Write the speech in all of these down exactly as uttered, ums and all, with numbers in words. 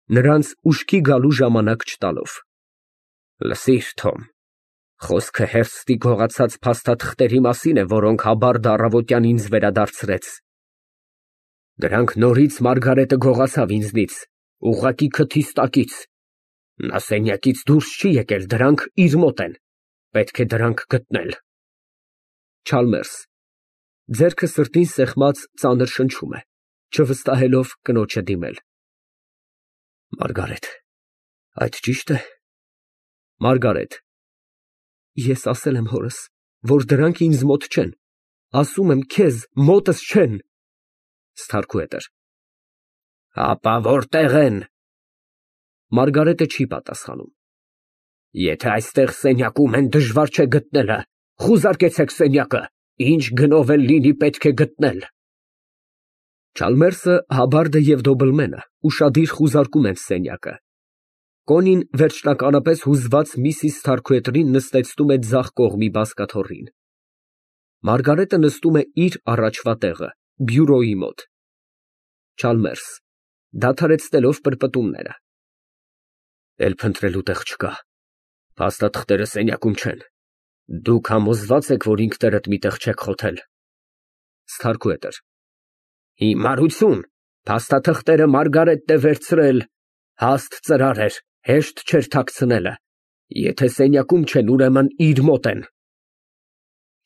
Նրանց ուշքի գալու ժամանակ չտալով)։ Լսիր, Թոմ, խոսքը հերձի գողացած փաստաթղթերի մասին է, որոնք Հաբարդը առավոտյան ինձ վերադարձրեց։ Դրանք նորից Մարգարետը գողացավ ինձնից, ուղղակի քթիս տակից։ Նա սենյակից դուրս չի եկել, դրանք իր մոտ են, պետք է դրանք գտնել։ Չալմերս ձեռքը սրտին սեղմած ծանր շնչում է, չվստահելով կնոջը դիմել։ Մարգարետ, այդ ճի՞շտ է։ Մարգարետ Ես ասել եմ հորս, որ դրանք ինձ մոտ չեն, ասում եմ քեզ, մոտս չեն։ Սթարքուհետր Հապա որտեղ են։ Մարգարետը չի պատասխանում։ Եթե այստեղ սենյակում են, դժվար չէ գտնելը, խուզարկեցեք սենյակը, ինչ գնով էլ լինի պետք է գտնել։ Չալմերսը, Հաբարդը և Դոբլմենը ուշադիր խուզարկում են սենյակը։ Կոնին վերջնականապես հուզված միսիս Սթարքուհետրին նստեցնում է ձախ կողմի բազկաթոռին։ Մարգարետը նստում է իր առաջվա տեղը, բյուրոյի մոտ։ Չալմերս դադարեցնելով պրպտումները։ Էլ փնտրելու տեղ չկա, փաստաթղթերը սենյակում չեն, դուք համոզված եք, որ ինքներդ մի տեղ չեք խոթել։ Սթարքուհետր Հիմարություն, փաստաթղթերը Մարգարետն է վերցրել, հաստ ծրար էր, հեշտ չէր թաքցնելը, եթե սենյակում չեն, ուրեմն իր մոտ են։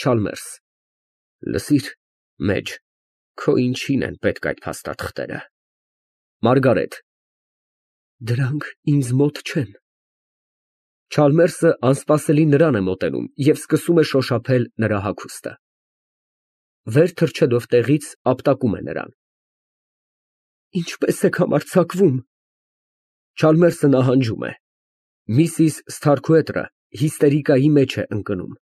Չալմերս Լսիր, մեջ, քո ինչին են պետք այդ փաստաթղթերը։ Մարգարետ Դրանք ինձ մոտ չեն։ Չալմերսը անսպասելի նրան է մոտենում և սկսում է շոշափել նրա հագուստը։ Վեր թռչելով տեղից, ապտակում է նրան։ Ինչպե՞ս եք համարձակվում։ Չալմերսը նահանջում է։ Միսիս Սթարքուհետրը հիստերիկայի մեջ է ընկնում։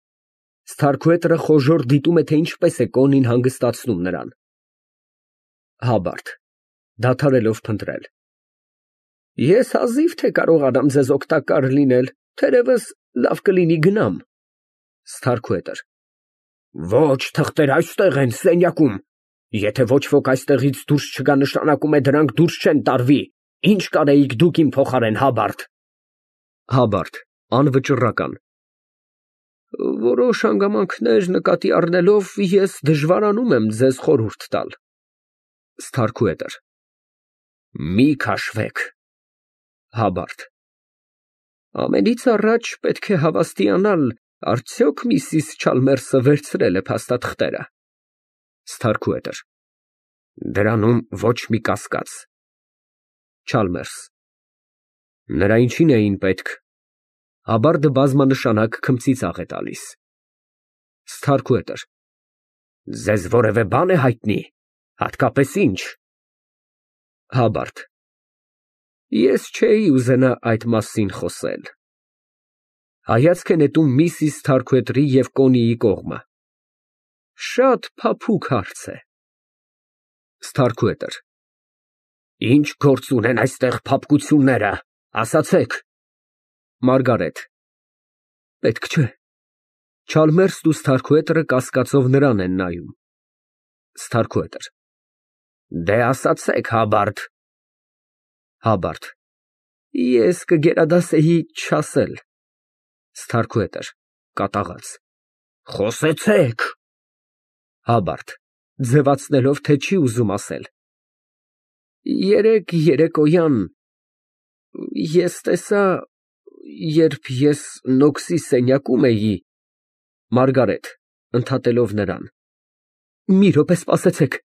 Սթարքուհետրը խոժոռ դիտում է, թե ինչպես է Կոնին հանգստացնում նրան։ Հաբարդ (Դադարելով փնտրել) Ես հազիվ թե կարողանամ ձեզ օգտակար լինել, թերևս լավ կլինի գնամ։ Սթարքուհետր Ոչ, թղթերը այստեղ են, սենյակում։ Եթե ոչ ոք այստեղից դուրս չգա, նշանակում է դրանք դուրս չեն տարվի։ Ինչ կարեիք դուք իմ փոխարեն, Հաբարդ։ Հաբարդ (անվճռական) Որոշ հանգամանքներ նկատի առնելով, ես դժվարանում եմ ձեզ խորհուրդ տալ։ Սթարքուհետր Մի քաշվեք։ Հաբարդ Ամենից առաջ պետք է հավաստիանալ, արդյոք միսիս Չալմերսը վերցրել է փաստաթղթերը։ Սթարքուհետր Դրանում ոչ մի կասկած։ Չալմերս Նրա ինչին էին պետք։ Հաբարդը բազմանշանակ քմծիծաղ է տալիս։ Սթարքուհետր Ձեզ որևէ բան է հայտնի, հատկապես ինչ։ Հաբարդ Ես չէի ուզենա այդ մասին խոսել։ Հայացք է նետում միսիս Սթարքուհետրի և Կոնիի կողմը։ Շատ փափուկ հարց է։ Սթարքուհետր Ինչ գործ ունեն այստեղ փափկությունները, ասացեք։ Մարգարետ Պետք չէ։ Չալմերսն ու Սթարքուհետրը կասկածով նրան են նայում։ Սթարքուհետր Դե ասացեք, Հաբարդ։ Հաբարդ Ես կգերադասեի չասել։ Սթարքուհետր (Կատաղած) Խոսեցեք։ Հաբարդ (Ձևացնելով, թե չի ուզում ասել) Երեկ երեկոյան ես տեսա, երբ ես Նոքսի սենյակում էի։ Մարգարետ (Ընդհատելով նրան) Մի րոպե, սպասեցեք։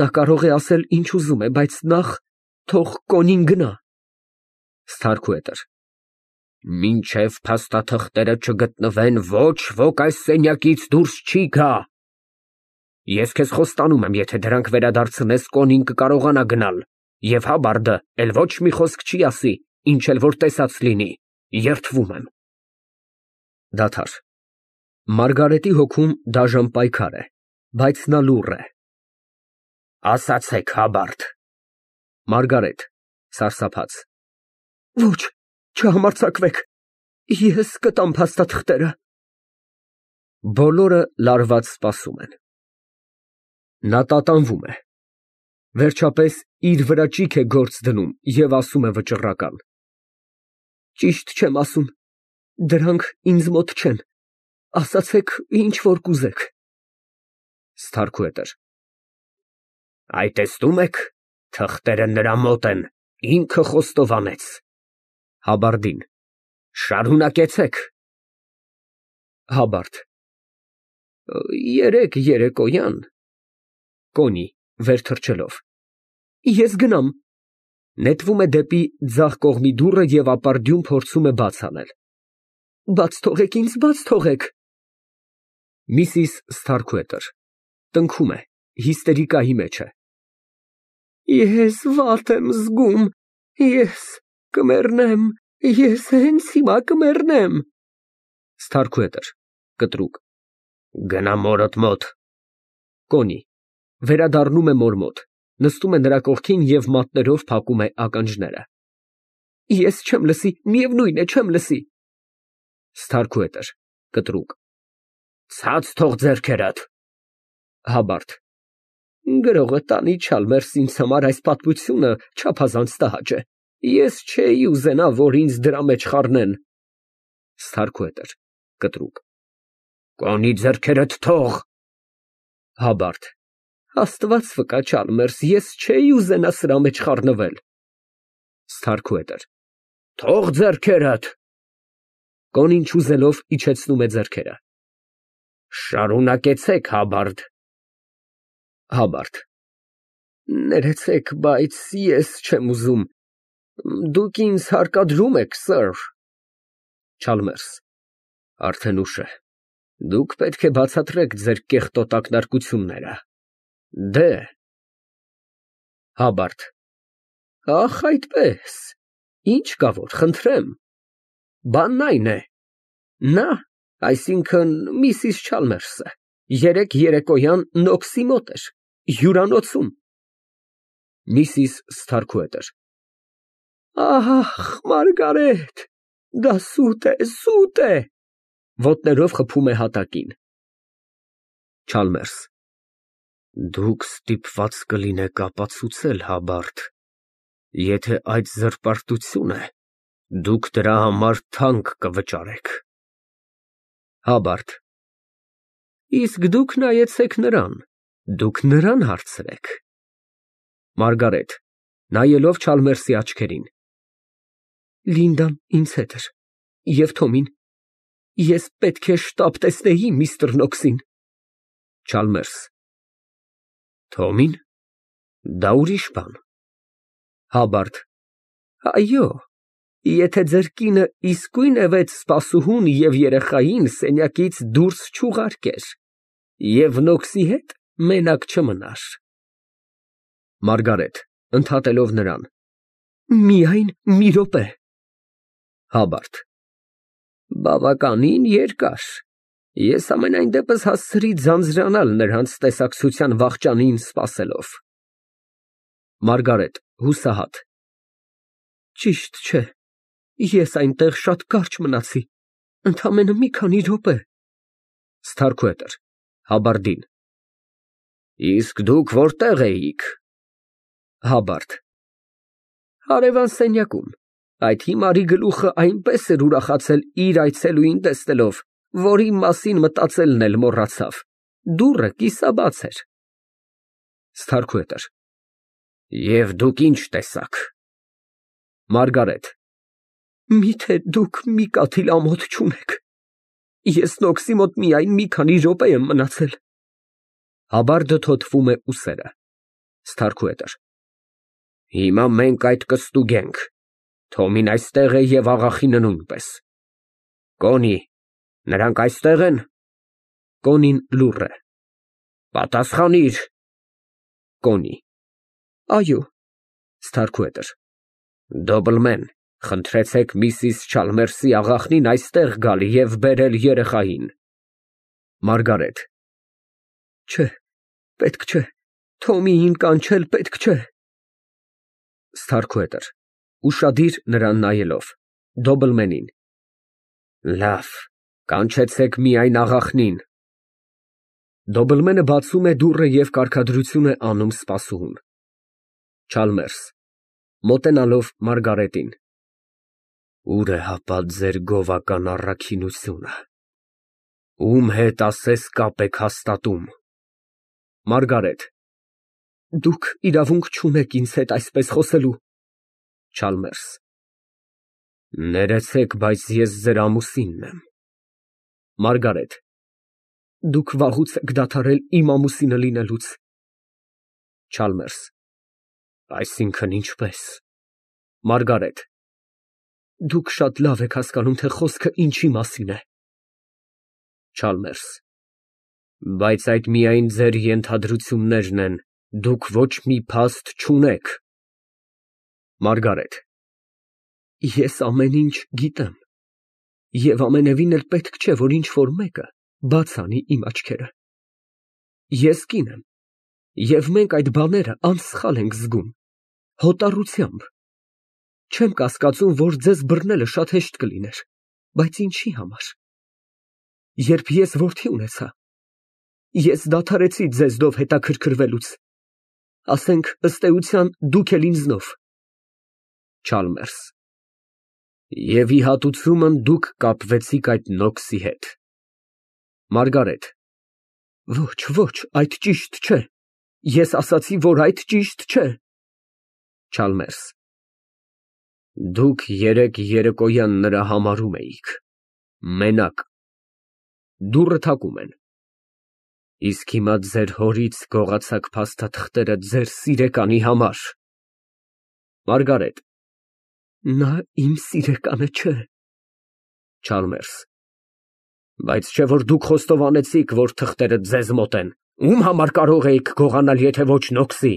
Նա կարող է ասել, ինչ ուզում է, բայց նախ թող Կոնին գնա։ Սթարքուհետր Մինչև փաստաթղթերը չգտնվեն, ոչ ոք այս սենյակից դուրս չի գա։ Ես քեզ խոստանում եմ, եթե դրանք վերադարձնես, Կոնին կկարողանա գնալ, և Հաբարդը էլ ոչ մի խոսք չի ասի, ինչ էլ որ տեսած լինի, երդվում եմ։ Դադար։ Մարգարետի հոգում դաժան պայքար է, բայց նա լուռ է։ Ասացեք, Հաբարդ։ Մարգարետ (Սարսափած) Ոչ, չհամարձակվեք, ես կտամ փաստաթղթերը։ Բոլորը լարված սպասում են։ Նա տատանվում է։ Վերջապես իր վրա ճիգ է գործ դնում և ասում է վճռական. Ճիշտ չեմ ասում, դրանք ինձ մոտ չեն, ասացեք, ինչ որ կուզեք։ Սթարքուհետր Այ տեսնում եք, թղթերը նրա մոտ են, ինքը խոստովանեց։ (Հաբարդին) Շարունակեցեք։ (Հաբարդ) Երեկ երեկոյան կոնի վեր թռչելով ես գնամ։ (Նետվում է դեպի ձախ կողմի դուռը և ապարդյուն փորձում է բաց անել)։ Բաց թողեք ինձ, բաց թողեք։ միսիս Սթարքուհետր տնքում է, հիստերիկայի մեջ է։ Ես վատ եմ զգում, ես կմեռնեմ, ես հենց հիմա կմեռնեմ։ Սթարքուհետր կտրուկ Գնա մորդ մոտ։ Կոնի վերադառնում է մոր մոտ, նստում է նրա կողքին և մատներով փակում է ականջները։ Ես չեմ լսի, միևնույն է, չեմ լսի։ Սթարքուհետր կտրուկ Ցած թող ձեռքերդ։ (Հաբարդ) Գրողը տանի Չալմերս ինձ համար այս պատմությունը չափազանց տհաճ է։ Ես չէի ուզենա, որ ինձ դրա մեջ խառնեն։ Սթարքուհետր կտրուկ Կոնի, ձեռքերդ թող։ (Հաբարդ) Աստված վկա, Չալմերս, ես չէի ուզենա սրա մեջ խառնվել։ Սթարքուհետր Թող ձեռքերդ։ Կոնին չուզելով իջեցնում է ձեռքերը։ Շարունակեցեք, Հաբարդ։ (Հաբարդ) Ներեցեք, բայց ես չեմ ուզում, դուք ինձ հարկադրում եք, սըր։ Չալմերս Արդեն ուշ է, դուք պետք է բացատրեք ձեր կեղտոտ ակնարկությունները։ Դե… (Հաբարդ) Ախ, այդպես, ինչ կա որ, խնդրեմ։ Բանն այն է, նա, այսինքն միսիս Չալմերսը, երեկ երեկոյան Նոքսի մոտ էր, հյուրանոցում։ միսիս Սթարքուհետր Ահ, Մարգարետ, դա սուտ է, սուտ է։ (Ոտներով խփում է հատակին)։ Չալմերս Դուք ստիպված կլինեք ապացուցել, Հաբարդ, եթե այդ զրպարտություն է, դուք դրա համար թանկ կվճարեք։ (Հաբարդ) Իսկ դուք նայեցեք նրան, դուք նրան հարցրեք։ (Մարգարետ նայելով Չալմերսի աչքերին) Լինդան ինձ հետ էր, և Թոմին, ես պետք է շտապ տեսնեի միստր Նոքսին։ Չալմերս Թոմի՞ն, դա ուրիշ բան։ (Հաբարդ) Այո, եթե ձեր կինը իսկույն էվեց սպասուհուն և երեխային սենյակից դուրս չուղարկեր, և Նոքսի հետ մենակ չմնար։ (Մարգարետ ընդհատելով նրան) Միայն մի րոպե։ (Հաբարդ) Բավականին երկար, ես համենայն դեպս հասցրի ձանձրանալ նրանց տեսակցության վախճանին սպասելով։ (Մարգարետ հուսահատ) Ճիշտ չէ, ես այնտեղ շատ կարճ մնացի, ընդամենը մի քանի րոպե։ Սթարքուհետր (Հաբարդին) Իսկ դուք որտե՞ղ էիք։ (Հաբարդ) Հարևան սենյակում, այդ հիմարի գլուխը այնպես էր ուրախացել իր այցելուին տեսնելով, որ իմ մասին մտածելն էլ մոռացավ, դուռը կիսաբաց էր։ Սթարքուհետր Եվ դուք ինչ տեսաք։ (Մարգարետ) Միթե դուք մի կաթիլ ամոթ չունեք, ես Նոքսի մոտ միայն մի քանի րոպե եմ մնացել։ (Հաբարդը թոթվում է ուսերը)։ Սթարքուհետր Հիմա մենք այդ կստուգենք, Թոմին այստեղ է և աղախինը նույնպես։ Կոնի, նրանք այստեղ են։ (Կոնին լուռ է) Պատասխանիր։ Կոնի Այո։ Սթարքուհետր Դոբլմեն, խնդրեցեք միսիս Չալմերսի աղախնին այստեղ գալ և բերել երեխային։ (Մարգարետ) Չէ, պետք չէ, Թոմիին կանչել պետք չէ։ Սթարքուհետր (Ուշադիր նրան նայելով) Դոբլմենին Լավ, կանչեցեք միայն աղախնին։ (Դոբլմենը բացում է դուռը և կարգադրություն է անում սպասուհուն)։ Չալմերս մոտենալով Մարգարետին։ Ուր է հապա ձեր գովական առաքինությունը, ում հետ ասես կապ եք հաստատում։ Մարգարետ Դուք իրավունք չունեք ինձ հետ այսպես խոսելու։ Չալմերս Ներեցեք, բայց ես ձեր ամուսինն եմ։ Մարգարետ Դուք վաղուց եք դադարել իմ ամուսինը լինելուց։ Չալմերս Այսինքն ինչպես։ Մարգարետ Դուք շատ լավ եք հասկանում, թե խոսքը ինչի մասին է։ Չալմերս Բայց այդ միայն ձեր ենթադրություններն են, դուք ոչ մի փաստ չունեք։ Մարգարետ Ես ամեն ինչ գիտեմ, և ամենևին էլ պետք չէ, որ ինչ֊որ մեկը բաց անի իմ աչքերը։ Ես կին եմ, և մենք այդ բաները անսխալ ենք զգում, հոտառությամբ։ Չեմ կասկածում, որ ձեզ բռնելը շատ հեշտ կլիներ, բայց ինչի համար։ Երբ ես որդի ունեցա, ես դադարեցի ձեզնով հետաքրքրվելուց, ասենք, ըստ էության, դուք էլ ինձնով։ Չալմերս Եվ ի հատուցումն դուք կապվեցիք այդ նոքսի հետ։ Մարգարետ Ոչ, ոչ, այդ ճիշտ չէ։ Ես ասացի, որ այդ ճիշտ չէ։ Չալմերս Դուք երեկ երեկոյան նրա համարում էիք, մենակ։ Դուռը թակում են։ Իսկ հիմա ձեր հորից գողացաք փաստաթղթերը ձեր սիրեկանի համար։ Մարգարետ Նա իմ սիրեկանը չէ։ Չալմերս Բայց չէ որ դուք խոստովանեցիք, որ թղթերը ձեզ մոտ են, ում համար կարող էիք գողանալ, եթե ոչ նոքսի։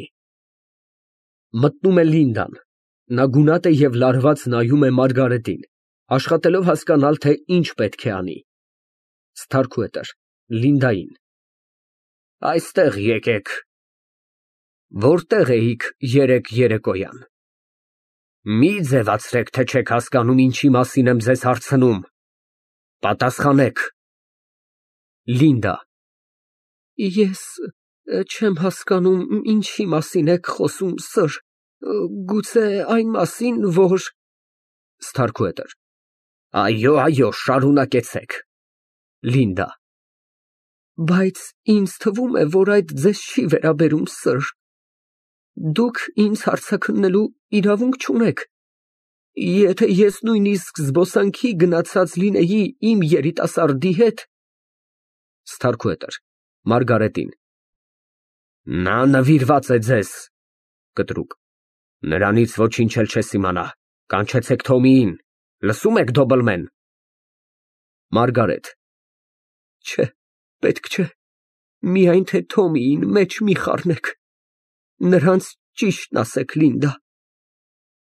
Մտնում է Լինդան, նա գունատ է և լարված նայում է Մարգարետին, աշխատելով հասկանալ, թե ինչ պետք է անի։ Սթարքուետր Լինդային Այստեղ եկեք։ Որտեղ էիք երեկ երեկոյան։ Մի ձևացրեք, թե չեք հասկանում, ինչի մասին եմ ձեզ հարցնում։ Պատասխանեք։ Լինդա Ես չեմ հասկանում, ինչի մասին եք խոսում, սըր, գուցե այն մասին, որ… Սթարքուետր Այո, այո, շարունակեցեք։ Լինդա Բայց ինձ թվում է, որ այդ ձեզ չի վերաբերում, սըր։ Դուք ինձ հարցաքննելու իրավունք չունեք։ Եթե ես նույնիսկ զբոսանքի գնացած լինեի իմ երիտասարդի հետ… Սթարքուետր Մարգարետին Նա նվիրված է ձեզ։ Կտրուկ Նրանից ոչինչ էլ չես իմանա, կանչեցեք Թոմիին, լսո՞ւմ եք, Դոբլմեն։ Մարգարետ Չէ, պետք չէ, միայն թե Թոմիին մեջ մի խառնեք, նրանց ճիշտն ասեք, Լինդա,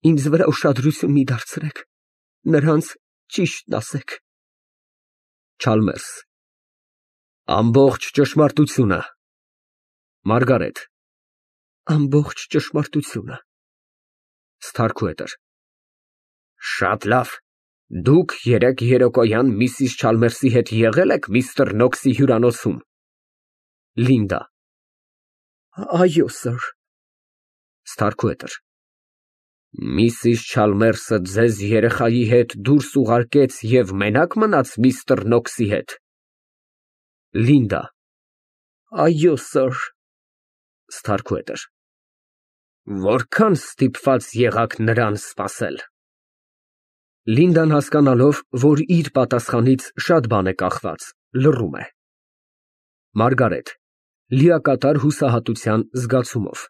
ինձ վրա ուշադրություն մի դարձրեք, նրանց ճիշտն ասեք։ Չալմերս Ամբողջ ճշմարտությունը։ Մարգարետ Ամբողջ ճշմարտությունը։ Սթարքուետր Շատ լավ, դուք երեկ երեկոյան միսիս Չալմերսի հետ եղել եք միստր Նոքսի հյուրանոցում։ Լինդա Այո, սըր։ Սթարքուետր Միսիս Չալմերսը ձեզ երեխայի հետ դուրս ուղարկեց և մենակ մնաց միստր Նոքսի հետ։ Լինդա Այո, սըր։ Սթարքուետր Որքան ստիպված եղաք նրան սպասել։ Լինդան հասկանալով, որ իր պատասխանից շատ բան է կախված, լռում է։ Մարգարետ լիակատար հուսահատության զգացումով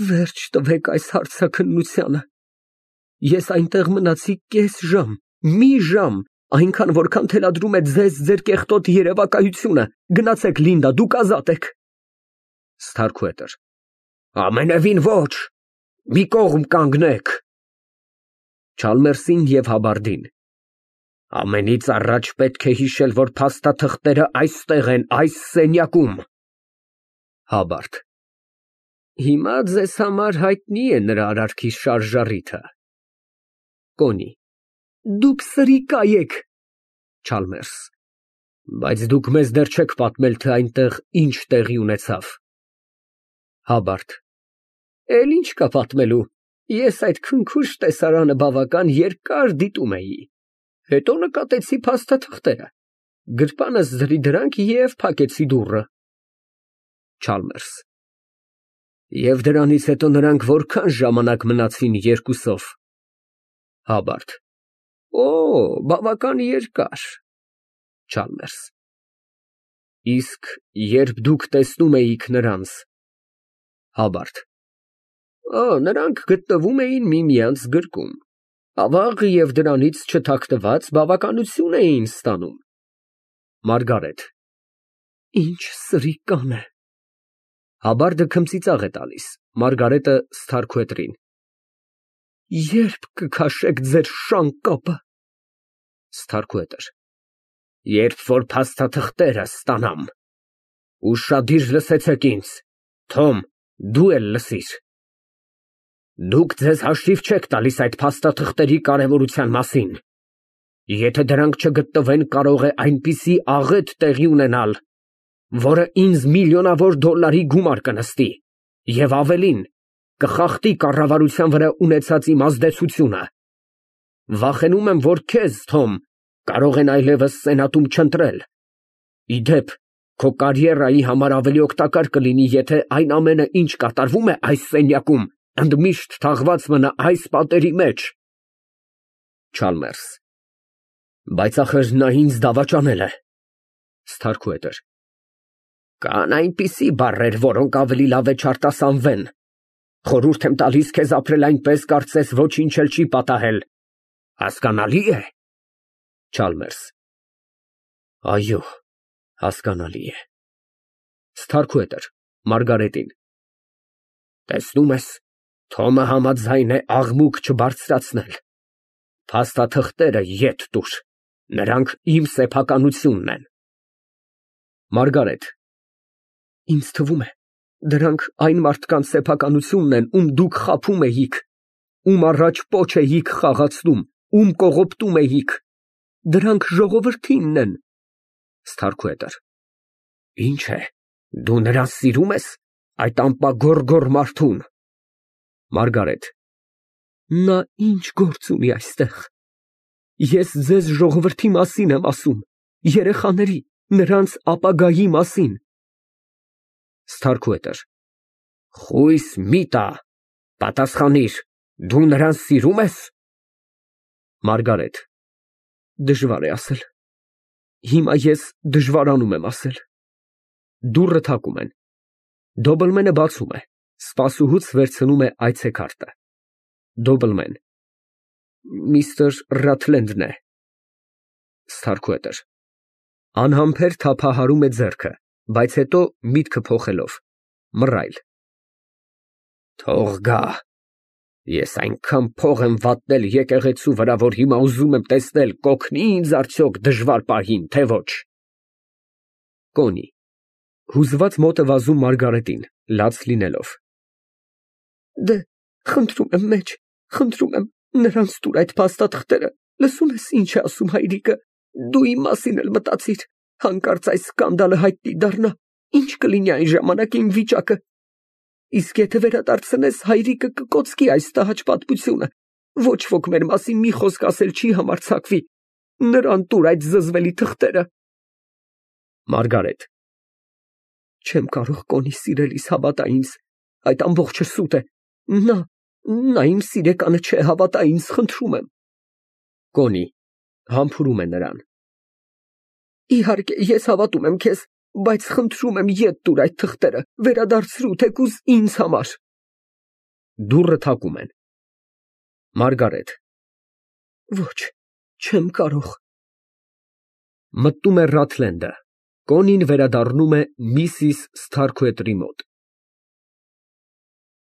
Վերջ տվեք այս հարցաքննությանը։ Ես այնտեղ մնացի կես ժամ, մի ժամ, այնքան, որքան թելադրում է ձեզ ձեր կեղտոտ երևակայությունը։ Գնացեք, Լինդա, դուք ազատ եք։ Սթարքուետր Ամենևին ոչ, մի կողմ կանգնեք։ Չալմերսին և Հաբարդին Ամենից առաջ պետք է հիշել, որ փաստաթղթերը այստեղ են, այս սենյակում։ Հաբարդ Հիմա ձեզ համար հայտնի է նրա արարքի շարժառիթը։ Կոնի Դուք սրիկա եք։ Չալմերս Բայց դուք մեզ դեռ չեք պատմել, թե այնտեղ ինչ տեղի ունեցավ։ Հաբարդ Էլ ինչ կա պատմելու, ես այդ քնքուշ տեսարանը բավական երկար դիտում էի, հետո նկատեցի փաստաթղթերը, գրպանս ձրի դրանք և փակեցի դուռը։ Չալմերս. Եվ դրանից հետո նրանք որքան ժամանակ մնացին երկուսով։ Հաբարդ. Օ, բավական երկար։ Չալմերս. Իսկ երբ դուք տեսնում էիք նրանց։ Հաբարդ. Նրանք գտնվում էին միմյանց գրկում, ավաղ և դրանից չթաքնված բավականություն էին ստանում։ Մարգարետ. Ինչ սրիկան է։ Հաբարդը քմծիծաղ է տալիս, Մարգարետը սթարքուետրին. Երբ կքաշեք ձեր շան կապը։ Սթարքուետր. Երբ որ փաստաթղթերը ստանամ։ Ուշադիր լսեցեք ինձ, Թոմ, դու էլ լսիր։ Դուք ձեզ հաշիվ չեք տալիս այդ փաստաթղթերի կարևորության մասին։ Եթե դրանք չգտնվեն, կարող է այնպիսի աղետ տեղի ունենալ, որը ինձ միլիոնավոր դոլարի գումար կնստի, և ավելին, կխախտի կառավարության վրա ունեցած իմ ազդեցությունը։ Վախենում եմ, որ քեզ, Թոմ, կարող են այլևս սենատում չընտրել։ Ի դեպ, քո կարիերայի համար ավելի օգտակար կլինի, եթե այն ամենը, ինչ կատարվում է այս սենյակում, ընդմիշտ թաղված մնա այս պատերի մեջ։ Չալմերս. Բայց ախր նա ինձ դավաճանել է։ Սթարքուետր. Կան այնպիսի բառեր, որոնք ավելի լավ է չարտասանվեն։ Խորհուրդ եմ տալիս քեզ ապրել այնպես, կարծես ոչինչ էլ չի պատահել։ Հասկանալի է։ Չալմերս. Այո, հասկանալի է։ Սթարքուետր Մարգարետին. Տեսնում ես, Թոմը համաձայն է աղմուկ չբարձրացնել։ Փաստաթղթերը ետ տուր, նրանք իմ սեփականությունն են։ Մարգարետ. Ինձ թվում է, դրանք այն մարդկանց սեփականությունն են, ում դուք խաբում էիք, ում առաջ պոչ էիք խաղացնում, ում կողոպտում էիք։ Դրանք ժողովրդինն են։ Սթարքուետր. Ինչ է, դու նրան սիրում ես, այդ ամպագոռ մարդուն։ Մարգարետ. Նա ինչ գործ ունի այստեղ։ Ես ձեզ ժողովրդի մասին եմ ասում, երեխաների, նրանց ապագայի մասին։ Սթարքուետր. Խույս մի տա, պատասխանիր, դու նրան սիրում ես։ Մարգարետ. Դժվար է ասել։ Հիմա ես դժվարանում եմ ասել։ Դուռը թակում են։ Դոբլմենը բացում է, սպասուհուց վերցնում է այցեքարտը։ Դոբլմեն. Միստր Ռաթլենդն է։ Սթարքուետր անհամբեր թափահարում է ձեռքը, բայց հետո միտքը փոխելով, մռայլ. Թող գա, ես այնքան փող եմ վատնել եկեղեցու վրա, որ հիմա ուզում եմ տեսնել կօգնի ինձ արդյոք դժվար պահին, թե ոչ։ Կոնի հուզված մոտ է վազում Մարգարետին, լաց լինելով։ Դե, խնդրում եմ մեջ, խնդրում եմ, նրանց տուր այդ փաստաթղթերը, լսում ես ինչ է ասում հայրիկը, դու իմ մասին էլ մտածիր, հանկարծ այս սկանդալը հայտնի դառնա, ինչ կլինի այն ժամանակ իմ վիճակը։ Իսկ եթե վերադարձնես, հայրիկը կկոծկի այս տհաճ պատմությունը, ոչ ոք մեր մասին մի խոսք ասել չի համարձակվի, նրան տուր այդ զզվելի թղթերը։ Մարգարետ Չեմ կարող, Կոնի սիրելիս, հավատա ինձ, այդ ամբողջը սուտ է, նա, նա իմ սիրեկանը չէ, հավատա ինձ, խնդրում եմ։ Կոնի համբուրում է նրան։ Իհարկե, ես հավատում եմ քեզ, բայց խնդրում եմ ետ տուր այդ թղթերը, վերադարձրու թեկուզ ինձ համար։ Դուռը թակում են։ Մարգարետ Ոչ, չեմ կարող։ Մտնում է Ռաթլենդը, Կոնին վերադառնում է միսիս Սթարքուետրի մոտ։